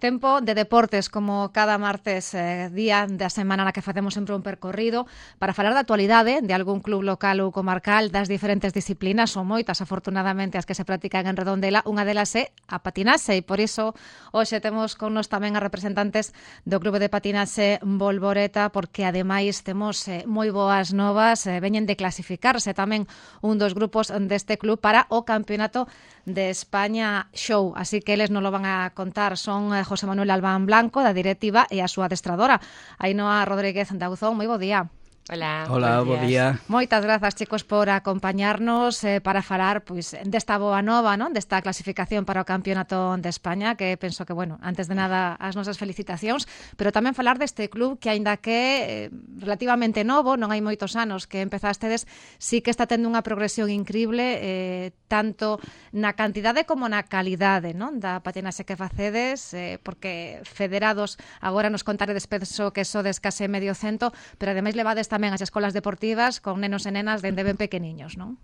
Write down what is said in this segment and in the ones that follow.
Tempo de deportes, como cada martes, día da semana na que facemos sempre un percorrido para falar da actualidade de algún club local ou comarcal, das diferentes disciplinas, son moitas, afortunadamente, as que se practican en Redondela. Unha delas é a patinaxe, e por iso hoxe temos con nos tamén as representantes do Clube de Patinaxe Bolboreta, porque ademais temos moi boas novas, veñen de clasificarse tamén un dos grupos deste club para o Campeonato de España Show, así que eles non lo van a contar. Son José Manuel Albán Blanco, da directiva, e a súa adestradora, Ainhoa Rodríguez Dauzón. Moi bo día. Hola, bo día. Moitas grazas, chicos, por acompañarnos para falar desta boa nova, non? Desta clasificación para o Campeonato de España, que penso que, bueno, antes de nada, as nosas felicitacións, pero tamén falar deste club que, aínda que relativamente novo, non hai moitos anos que empezastedes, sí que está tendo unha progresión increíble, tanto na cantidade como na calidade, non? Da patinaxe que facedes, porque federados, agora nos contaredes, penso que sodes case medio cento, pero ademais levades tamén as escolas deportivas con nenos e nenas dende ben pequeniños, non?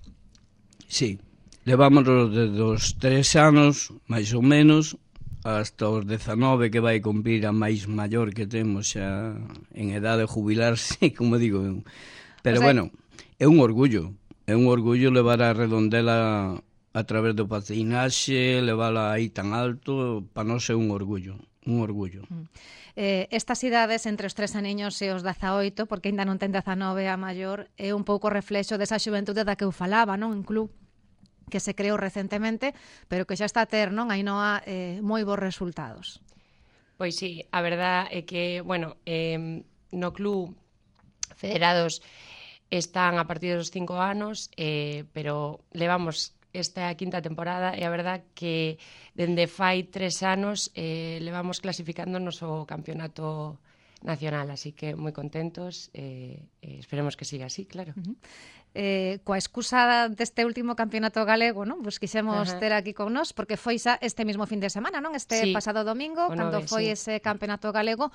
Sí, levámonos desde os 3 anos, máis ou menos, hasta os 19, que vai cumprir a máis maior que temos xa en edade de jubilarse, como digo. Pero, bueno, é un orgullo levar a Redondela a través do patinaxe, levala aí tan alto, para nós é un orgullo. Estas idades entre os 3 aniños e os 18, porque ainda non ten 19 a maior, é un pouco reflexo desa xuventude da que eu falaba, non? Un club que se creou recentemente, pero que xa está a ter, non, Ainhoa, moi bons resultados. Pois sí, a verdad é que, bueno, no club federados están a partir dos 5 anos, pero levamos esta quinta temporada e a verdad que dende fai 3 anos levamos clasificándonos ao campeonato nacional, así que moi contentos, esperemos que siga así, claro. Coa excusa deste último campeonato galego, non? Pues quixemos ter aquí con nós, porque foi xa este mismo fin de semana, non? Este pasado domingo, cando foi ese campeonato galego.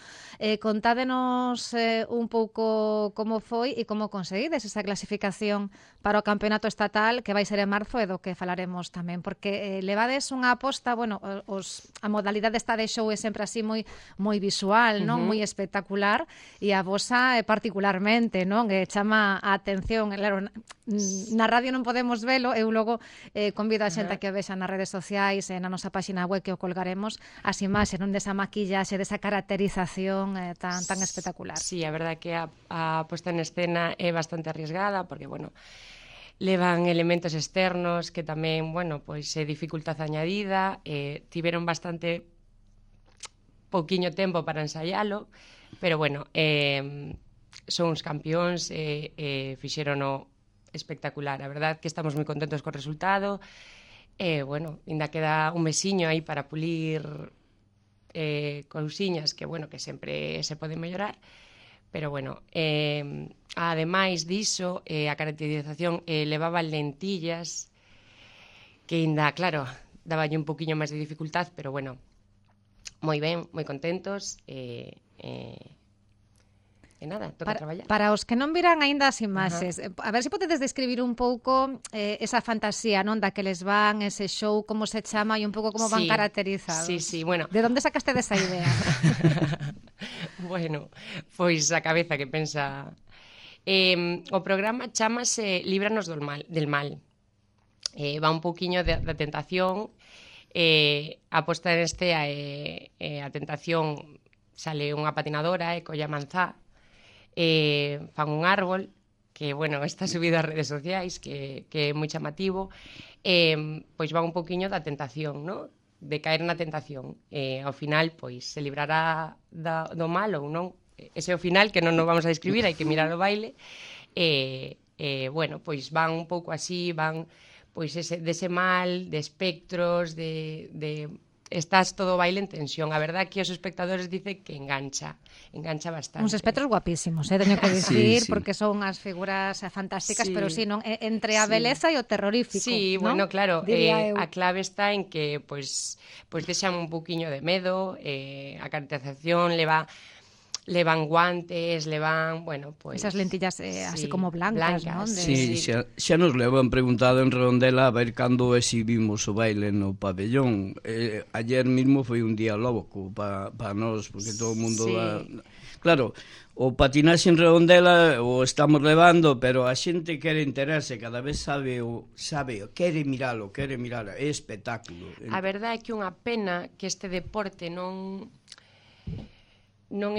Contádenos un pouco como foi e como conseguides esa clasificación para o campeonato estatal, que vai ser en marzo, e do que falaremos tamén, porque levades unha aposta, bueno, a modalidade esta de show é sempre así moi visual, non? Moi espectacular, e a vosa particularmente, non? Chama a atención, claro, na radio non podemos velo, eu logo convido a xente a que o vexa nas redes sociais e na nosa página web, que o colgaremos, as imaxes, non, desa maquillaxe, desa caracterización tan espectacular. Sí, a verdade que a posta en escena é bastante arriesgada, porque, bueno, levan elementos externos que tamén, bueno, pois é dificultad añadida, tiveron bastante pouquiño tempo para ensaialo, pero, bueno, son uns campións, fixérono espectacular. A verdad que estamos moi contentos co resultado. Bueno, ainda queda un mesiño aí para pulir cousiñas que, bueno, que sempre se poden mellorar. Pero, bueno, ademais diso, a caracterización levaba lentillas, que ainda, claro, daballe un poquinho máis de dificultad, pero, bueno, moi ben, moi contentos, e nada, toca traballar. Para os que non viran aínda as imaxes, a ver se podedes describir un pouco esa fantasía, non, da que les van, ese show, como se chama e un pouco como van caracterizados. Sí, bueno. De onde sacaste desa idea? Bueno, pois a cabeza que pensa. O programa chamase Líbranos del mal. Va un pouquiño da tentación, a posta en este a tentación, sale unha patinadora e colla manzá, fan un árbol que, bueno, está subido ás redes sociais, que é moi chamativo, pois va un poquinho da tentación, ¿no? De caer na tentación. Ao final, pois, se librará do mal ou non. Ese é o final, que non nos vamos a describir, hai que mirar o baile. Bueno, pois van un pouco así, van pois dese mal, de espectros, de estás todo o baile en tensión. A verdad que os espectadores dicen que engancha bastante. Uns espectros guapísimos, teño que dicir, sí. Porque son as figuras fantásticas, pero sí, non, entre a beleza e o terrorífico. Sí, ¿no? Bueno, claro, a clave está en que pois deixan un poquinho de medo, a caracterización leva levan guantes, levan, bueno, pues... Esas lentillas así como blancas, ¿no? Sí, xa nos levan preguntado en Redondela a ver cando exhibimos o baile no pabellón. Ayer mismo foi un día loco para nós, porque todo o mundo va... Claro, o patinaxe en Redondela o estamos levando, pero a xente quere enterarse, cada vez sabe, quere miralo, é espectáculo. A verdade é que unha pena que este deporte non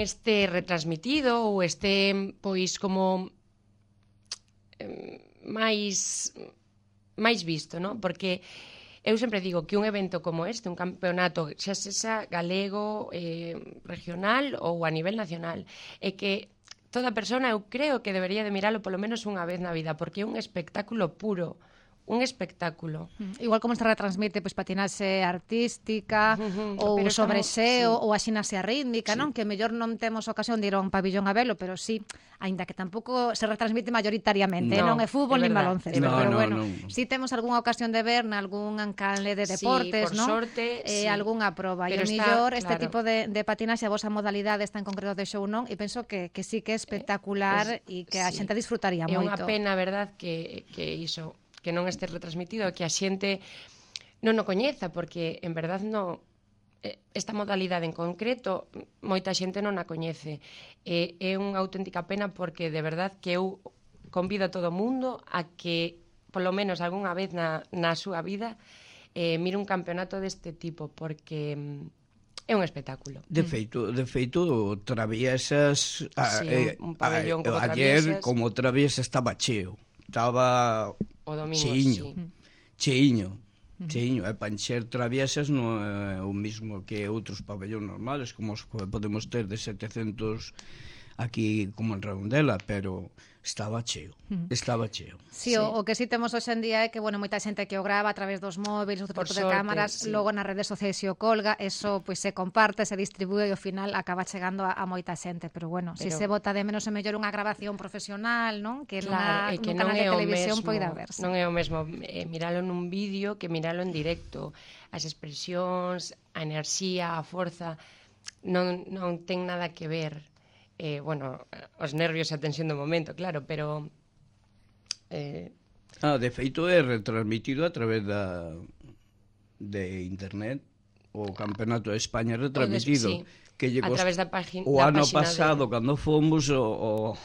este retransmitido ou este, pois, como máis visto, non? Porque eu sempre digo que un evento como este, un campeonato, xa sexa galego, regional ou a nivel nacional, é que toda persona, eu creo que debería de miralo polo menos unha vez na vida, porque é un espectáculo puro, un espectáculo. Igual como se retransmite pois patinaxe artística ou sobreseo ou a ximnasia rítmica, non? Que mellor non temos ocasión de ir a un pabillón a velo, pero sí, aínda que tampouco se retransmite mayoritariamente, non é fútbol nin baloncesto, pero bueno, sí temos algunha ocasión de ver nalgún canle de deportes, non? Sorte, algunha proba, e o mellor este tipo de patinaxe, a vosa modalidade está en concreto de show, non? E penso que sí que é espectacular e que a xente disfrutaría moito. É unha pena, verdad, que iso que non este retransmitido, que a xente non o coñeza, porque en verdad non, esta modalidade en concreto moita xente non a coñece. É unha auténtica pena porque de verdad que eu convido a todo o mundo a que polo menos algunha vez na súa vida mire un campeonato deste tipo, porque é un espectáculo. De feito, Traviesas un pabellón como ayer como Traviesas estaba cheo. Estaba o domingo, cheiño, e para encher Traviesas non é o mismo que outros pabellóns normales, como os que podemos ter de 700 aquí como en Redondela, pero estaba cheo. Sí, o que sí temos hoxe en día é que, bueno, moita xente que o grava a través dos móviles, outro tipo de cámaras, logo nas redes sociais se o colga, eso pois se comparte, se distribúe e ao final acaba chegando a moita xente, pero bueno, se se bota de menos é mellor unha grabación profesional, non? Que claro, nun canal de televisión poida verse. Non é o mesmo miralo nun vídeo que miralo en directo. As expresións, a enerxía, a forza non ten nada que ver. Bueno, os nervios e a tensión do momento, claro, pero de feito é retransmitido a través de internet. O Campeonato de España retransmitido que a través da página. O ano pasado, cando fomos, o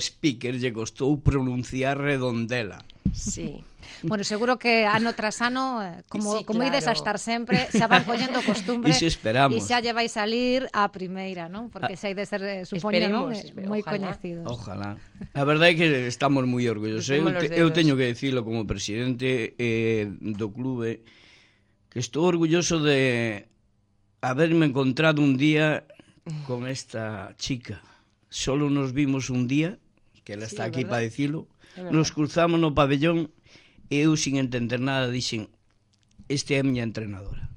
speaker lle costou pronunciar Redondela. Sí. Bueno, seguro que ano tras ano, como ides a estar sempre, xa van collendo costumbre e xa lle vai salir a primeira, non? Porque xa hai de ser, supoño, non? Moi coñecidos. Ojalá. A verdade é que estamos moi orgullosos. Eu teño que dicilo como presidente do clube, que estou orgulloso de haberme encontrado un día con esta chica. Solo nos vimos un día, que ela está aquí para dicilo, nos cruzamos no pabellón e eu, sin entender nada, dixen: este é a miña entrenadora.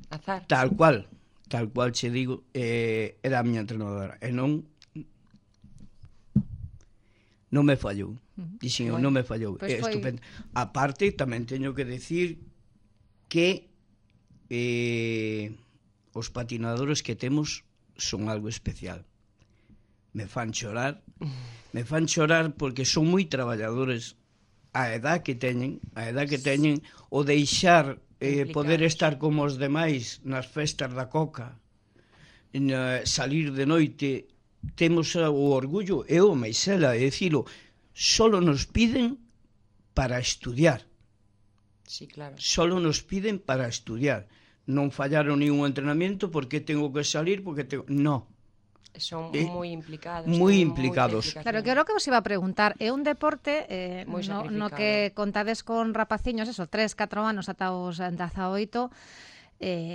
Azar. Tal cual che digo, era a miña entrenadora. E non me fallou. Dixen, non me fallou. É estupendo. A parte, tamén teño que decir que os patinadores que temos son algo especial. Me fan chorar porque son moi traballadores. A edad que teñen, o deixar poder estar como os demais nas festas da Coca, salir de noite, temos o orgullo, eu, Meisela, de dicilo, solo nos piden para estudiar. Sí, claro. Solo nos piden para estudiar. Non fallaron ningún entrenamiento porque tengo que salir, porque no. Son moi implicados. Moi implicados. Claro, que era o que vos iba a preguntar. É un deporte no que contades con rapaciños, 3-4 anos ata os 18,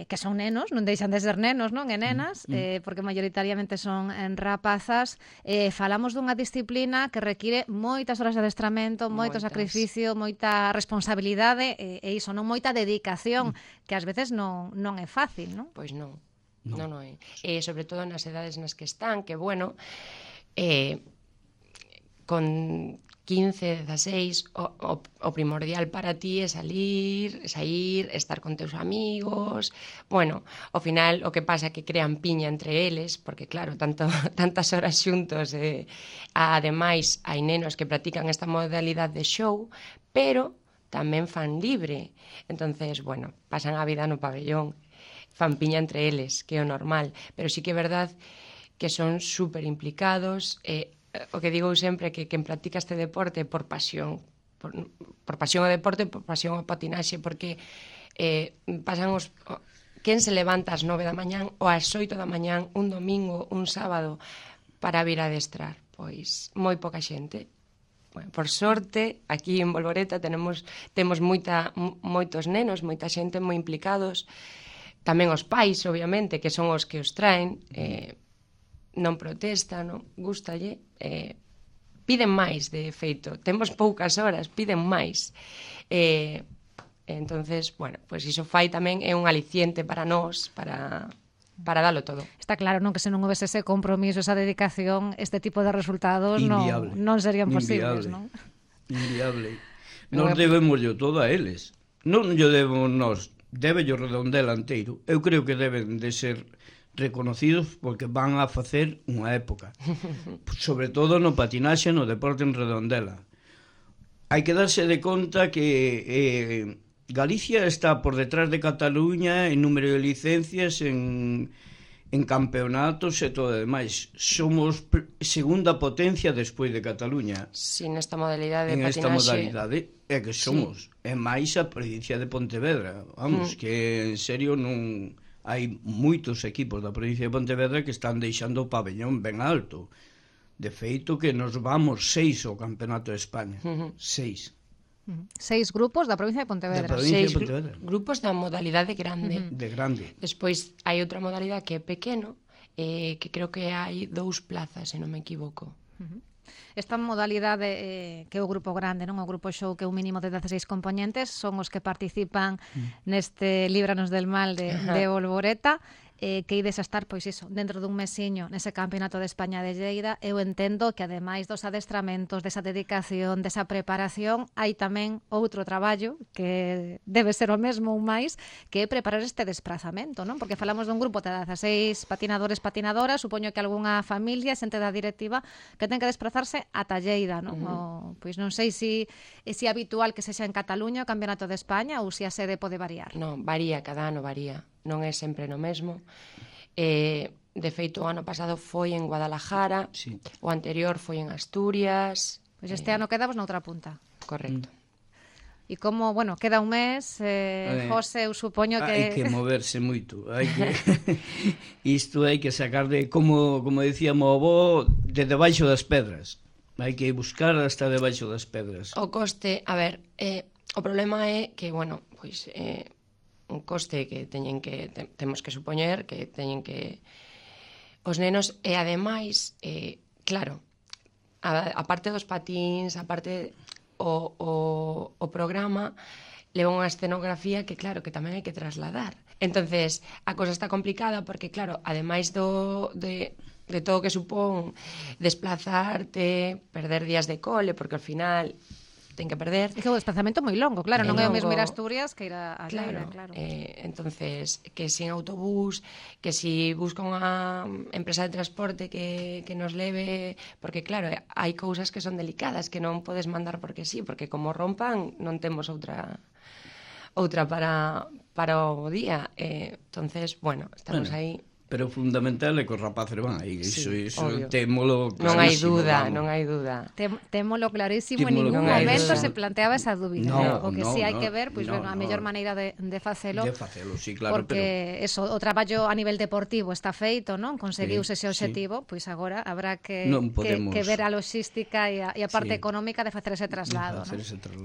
que son nenos, non deixan de ser nenos, non? E nenas, porque maioritariamente son rapazas. Falamos dunha disciplina que require moitas horas de adestramento, moito sacrificio, moita responsabilidade e iso, non moita dedicación, que ás veces non é fácil, non? Pois non. Non é. Sobre todo nas edades nas que están, que, bueno, con 15, 16, o primordial para ti é sair, estar con teus amigos. Bueno, ao final o que pasa é que crean piña entre eles, porque claro, tantas horas xuntos, ademais hai nenos que practican esta modalidade de show, pero tamén fan libre. Entonces, bueno, pasan a vida no pabellón, fan piña entre eles, que é o normal, pero sí que é verdad que son super implicados. O que digo sempre é que quen practica este deporte por pasión, por pasión ao deporte, por pasión ao patinaxe, porque pasan quen se levanta ás 9 da mañán ou ás 8 da mañán un domingo, un sábado para vir a adestrar? Pois moi poca xente. Bueno, por sorte, aquí en Bolboreta temos moitos nenos, moita xente moi implicados, tamén os pais, obviamente, que son os que os traen, non protestan, non gustalle, piden máis, de feito, temos poucas horas, piden máis. Entonces, bueno, pois iso fai tamén é un aliciente para nós, para dalo todo. Está claro, non, que se non houvese ese compromiso, esa dedicación, este tipo de resultados non serían posibles, non? Inviable. Nos debemos todo a eles. Non yo debemos nós, debe o Redondela inteiro. Eu creo que deben de ser reconocidos porque van a facer unha época. Sobre todo no patinaxe, no deporte en Redondela. Hai que darse de conta que Galicia está por detrás de Cataluña en número de licencias, en campeonatos e todo o demais. Somos segunda potencia despois de Cataluña. Sí, nesta modalidade de patinaxe. En esta modalidade é que somos. Sí. É máis a provincia de Pontevedra. Vamos, que en serio non... Hai moitos equipos da provincia de Pontevedra que están deixando o pabellón ben alto. De feito que nos vamos 6 ao Campeonato de España. 6. 6 grupos da provincia de Pontevedra. 6 grupos da modalidade grande. De grande. Despois hai outra modalidade que é pequeno, que creo que hai 2 plazas, se non me equivoco. Esta modalidade que é o grupo grande, non, o grupo show, que é un mínimo de 16 componentes, son os que participan neste Líbranos del Mal de Bolboreta, que ides a estar, pois iso, dentro dun mesiño nese Campeonato de España de Lleida. Eu entendo que ademais dos adestramentos, desa dedicación, desa preparación, hai tamén outro traballo que debe ser o mesmo ou máis, que é preparar este desplazamento, non? Porque falamos dun grupo de 16 patinadores, patinadoras, supoño que algunha familia, xente da directiva, que ten que desplazarse ata Lleida, non? Pois non sei se é habitual que sexa en Cataluña o Campeonato de España ou se a sede pode variar. Non, varía, cada ano varía. Non é sempre no mesmo. De feito, o ano pasado foi en Guadalajara, o anterior foi en Asturias. Pois este ano quedamos noutra punta. Correcto. E como, bueno, queda un mes, José, eu supoño que... Hai que moverse moito. Isto hai que sacar de, como decíamos o avó, de debaixo das pedras. Hai que buscar hasta debaixo das pedras. O coste, a ver, o problema é que, bueno, pois... un coste que temos que supoñer que teñen que os nenos, e ademais claro, a parte dos patins, a parte o programa leva unha escenografía que claro, que tamén hai que trasladar. Entonces, a cosa está complicada porque claro, ademais de todo o que supón desplazarte, perder días de cole, porque ao final ten que perder. É que o desplazamento moi longo, claro, non é o mesmo ir a Asturias que ir a Lleida, claro. Entonces, que sin autobús, que si busca unha empresa de transporte que nos leve, porque claro, hai cousas que son delicadas, que non podes mandar porque sí, porque como rompan non temos outra para o día. Entonces, bueno, estamos aí. Pero o fundamental é que os rapaces van aí. Iso témolo clarísimo. Non hai dúda. Témolo clarísimo, en ningún momento se planteaba esa dúbida. O que sí hai que ver, pois a mellor maneira de facelo. De facelo, sí, claro. Porque o traballo a nivel deportivo está feito, non? Conseguiuse ese objetivo, pois agora habrá que ver a logística e a parte económica de facer ese traslado.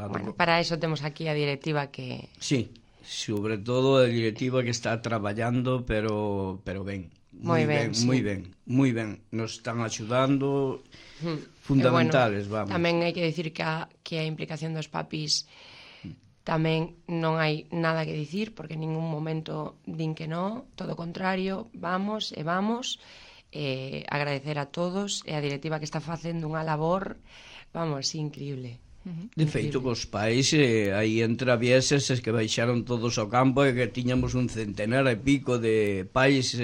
Bueno, para eso temos aquí a directiva que... Sí. Sobre todo a directiva que está traballando, pero ben. Moi ben. Nos están axudando, fundamentales, vamos. Tamén hai que dicir que a implicación dos papis tamén non hai nada que dicir, porque en ningún momento din que non, todo o contrario, vamos. Agradecer a todos e a directiva que está facendo unha labor vamos, increíble. De feito, cos pais aí entra vieses que baixaron todos ao campo e que tiñamos un centenar e pico de pais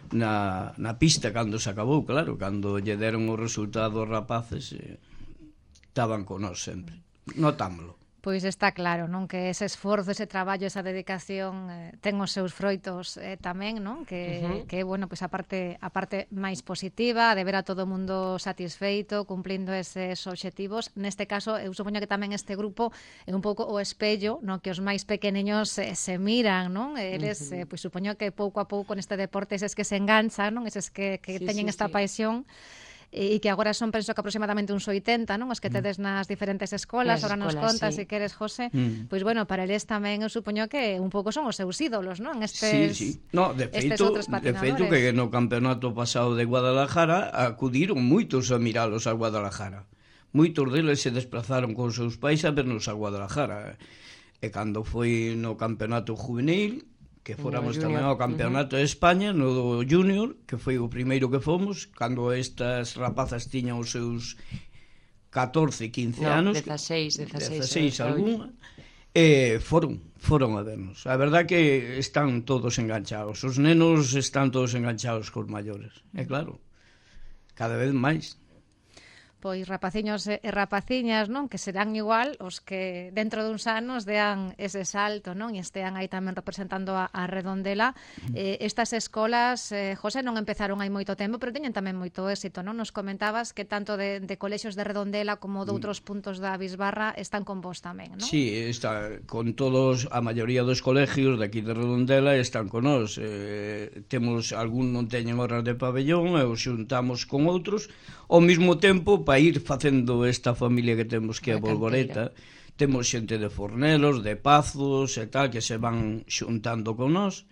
na pista cando se acabou, claro, cando lle deron o resultado aos rapaces estaban con nós sempre, notámoslo. Pois está claro, non, que ese esforzo, ese traballo, esa dedicación ten os seus froitos tamén, non? Que bueno, pois a parte máis positiva de ver a todo o mundo satisfeito, cumplindo eses obxectivos. Neste caso, eu supoño que tamén este grupo é un pouco o espello, non, que os máis pequeniños se miran, non? Eles, pois supoño que pouco a pouco neste deporte eses que se enganchan, non? Eses que teñen esta paixón, e que agora son, penso que aproximadamente uns 80, non? Os que tedes nas diferentes escolas, agora nos contas, se queres, José, pois bueno, para eles tamén eu supoño que un pouco son os seus ídolos, non? Estes, no, de feito que no campeonato pasado de Guadalajara acudiron moitos a miralos a Guadalajara. Moitos deles se desplazaron con seus pais a vernos a Guadalajara. E cando foi no campeonato juvenil, que fóramos tamén ao campeonato de España, no junior, que foi o primeiro que fomos, cando estas rapazas tiñan os seus 14, 15 anos, 16 algunha, foron a vernos. A verdad que están todos enganchados, os nenos están todos enganchados cos maiores, e claro, cada vez máis. Pois rapaciños e rapaciñas, non, que serán igual os que dentro duns anos dean ese salto, non, e estean aí tamén representando a Redondela. Estas escolas, José, non empezaron hai moito tempo, pero teñen tamén moito éxito, non? Nos comentabas que tanto de colexios de Redondela como de outros puntos da Bisbarra están con vos tamén, non? Sí, está con todos, a maioría dos colegios de aquí de Redondela están con nós. Temos algún non teñen horas de pabellón e os xuntamos con outros ao mesmo tempo para ir facendo esta familia que temos que é a Bolboreta. Temos xente de Fornelos, de Pazos e tal que se van xuntando con nós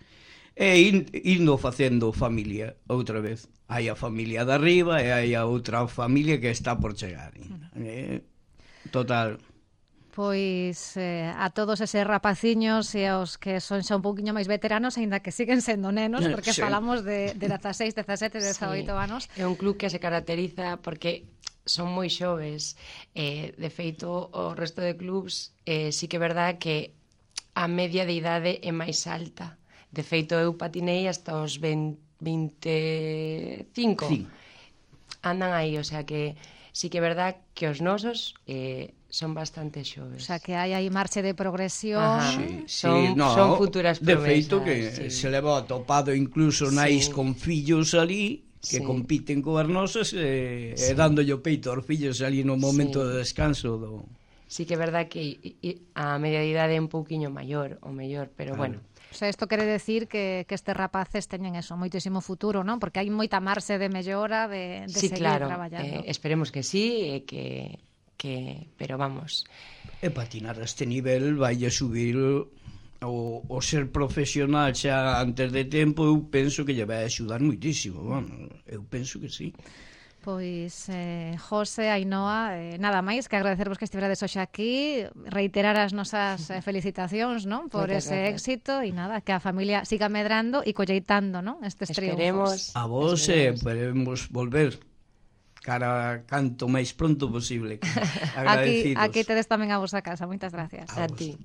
e indo facendo familia outra vez. Hai a familia de arriba e hai a outra familia que está por chegar. Total. Pois a todos eses rapaciños e aos que son xa un pouquiño máis veteranos, aínda que siguen sendo nenos, porque falamos de 16, 17, 18 anos. É un club que se caracteriza porque son moi xoves. De feito, o resto de clubs sí que é verdad que a media de idade é máis alta. De feito, eu patinei hasta os 25. Sí. Andan aí, o sea que sí que é verdad que os nosos son bastante xoves. O sea, que hai aí marche de progresión. Son futuras promesas. De feito que se leva atopado incluso nais con fillos ali que compiten coas nosas e dándolle o peito aos fillos ali no momento de descanso do... Sí que é verdad que a media de idade é un pouquiño maior, o mellor, pero bueno. O sea, isto quere decir que estes rapaces teñen eso, moitísimo futuro, non? Porque hai moita marxe de mellora de seguir traballando. Esperemos que sí, pero vamos. E patinar a este nivel vai a subir o ser profesional xa antes de tempo, eu penso que lle vai axudar moitísimo, eu penso que sí. Pois, José, Ainhoa, nada máis que agradecervos que estiverades hoxe aquí, reiterar as nosas felicitacións, non, por ese éxito, e nada, que a familia siga medrando e colleitando, non, estes triunfos. A vos podemos volver cara canto máis pronto posible. Agradecidos. Aquí tedes tamén a vosa casa, moitas gracias. A ti.